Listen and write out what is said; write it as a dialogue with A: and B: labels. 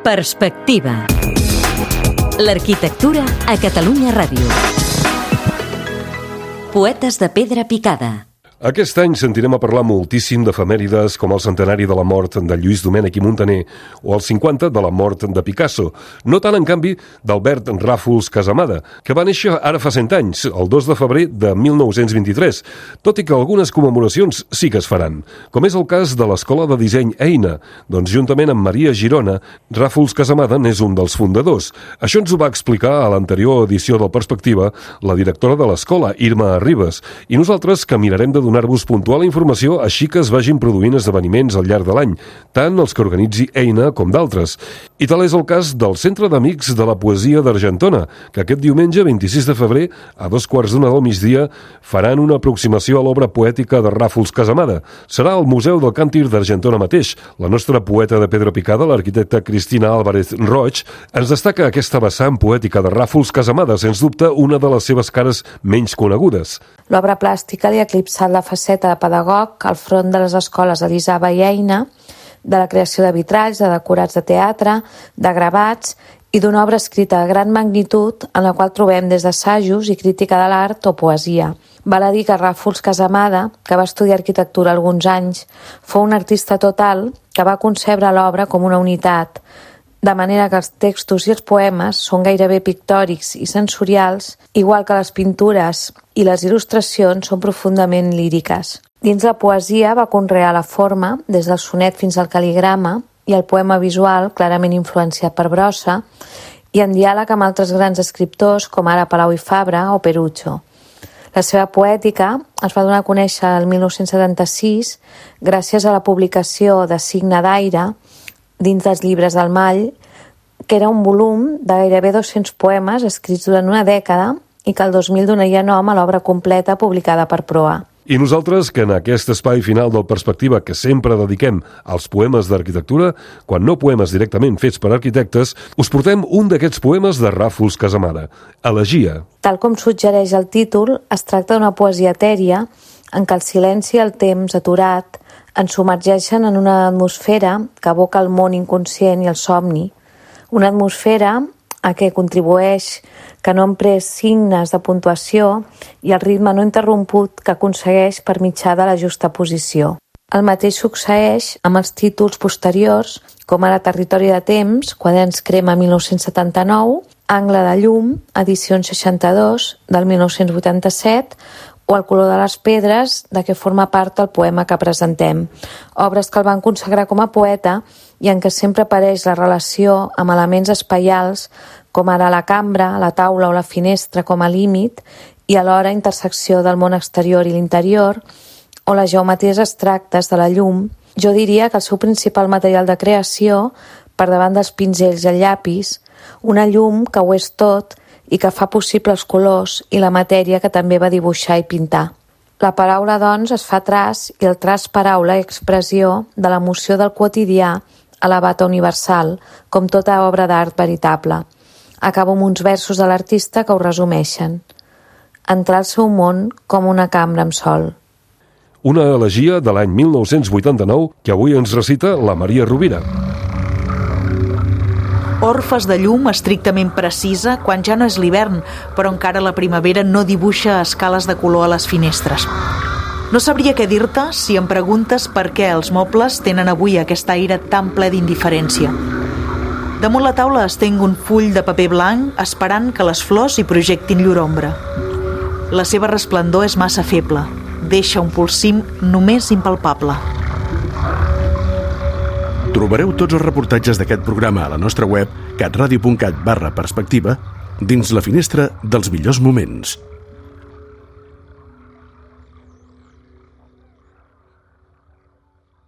A: Perspectiva. L'arquitectura a Catalunya Ràdio. Poetes de pedra picada.
B: Aquest any sentirem a parlar moltíssim d'efemèrides com el centenari de la mort de Lluís Domènech i Muntaner o el 50 de la mort de Picasso. No tant, en canvi, d'Albert Ràfols Casamada, que va néixer ara fa 100 anys, el 2 de febrer de 1923, tot i que algunes commemoracions sí que es faran, com és el cas de l'Escola de Disseny Eina, doncs juntament amb Maria Girona, Ràfols Casamada n'és un dels fundadors. Això ens ho va explicar a l'anterior edició del Perspectiva la directora de l'escola, Irma Arribas, i nosaltres que mirarem de donar-vos puntual informació així que es vagin produint esdeveniments al llarg de l'any, tant els que organitzi Eina com d'altres. I tal és el cas del Centre d'Amics de la Poesia d'Argentona, que aquest diumenge, 26 de febrer, a 2:15 del migdia, faran una aproximació a l'obra poètica de Ràfols Casamada. Serà al Museu del Càntir d'Argentona mateix. La nostra poeta de pedra picada, l'arquitecta Cristina Álvarez Roig, ens destaca aquesta vessant poètica de Ràfols Casamada, sens dubte una de les seves cares menys conegudes.
C: L'obra plàstica li ha eclipsat la faceta de pedagog al front de les escoles Elisava i Eina, de la creació de vitralls, de decorats de teatre, de gravats i d'una obra escrita de gran magnitud en la qual trobem des d'assajos i crítica de l'art o poesia. Val a dir que Ràfols Casamada, que va estudiar arquitectura alguns anys, fou un artista total que va concebre l'obra com una unitat, de manera que els textos i els poemes són gairebé pictòrics i sensorials, igual que les pintures i les il·lustracions són profundament líriques. Dins la poesia va conrear la forma, des del sonet fins al cal·ligrama, i el poema visual, clarament influenciat per Brossa, i en diàleg amb altres grans escriptors com ara Palau i Fabra o Perucho. La seva poètica es va donar a conèixer el 1976 gràcies a la publicació de Signe d'Aire dins dels llibres del Mall, que era un volum de gairebé 200 poemes escrits durant una dècada i que el 2000 donaria nom a l'obra completa publicada per Proa.
B: I nosaltres, que en aquest espai final del Perspectiva que sempre dediquem als poemes d'arquitectura, quan no poemes directament fets per arquitectes, us portem un d'aquests poemes de Ràfols Casamada, Elegia.
C: Tal com suggereix el títol, es tracta d'una poesia etèria en què el silenci i el temps aturat ens submergeixen en una atmosfera que evoca el món inconscient i el somni. Una atmosfera a què contribueix que no emprès signes de puntuació i el ritme no interromput que aconsegueix per mitjà de la justa posició. El mateix succeeix amb els títols posteriors, com ara Territori de temps, Quaderns Crema 1979, Angle de llum, edicions 62, del 1987, o El color de les pedres, de què forma part el poema que presentem. Obres que el van consagrar com a poeta i en què sempre apareix la relació amb elements espaials com ara la cambra, la taula o la finestra com a límit i alhora intersecció del món exterior i l'interior o les geometries abstractes de la llum. Jo diria que el seu principal material de creació, per davant dels pinzells i el llapis, una llum que ho és tot i que fa possible els colors i la matèria que també va dibuixar i pintar. La paraula, doncs, es fa traç i el traç paraula i expressió de l'emoció del quotidià elevat a universal, com tota obra d'art veritable. Acabo amb uns versos de l'artista que ho resumeixen. Entrar al seu món com una cambra amb sol.
B: Una elegia de l'any 1989 que avui ens recita la Maria Rovira.
D: Orfes de llum estrictament precisa quan ja no és l'hivern, però encara la primavera no dibuixa escales de color a les finestres. No sabria què dir-te si em preguntes per què els mobles tenen avui aquest aire tan ple d'indiferència. Damunt la taula estenc un full de paper blanc esperant que les flors hi projectin llur ombra. La seva resplendor és massa feble, deixa un polsim només impalpable.
E: Trobareu tots els reportatges d'aquest programa a la nostra web catradio.cat/perspectiva dins la finestra dels millors moments.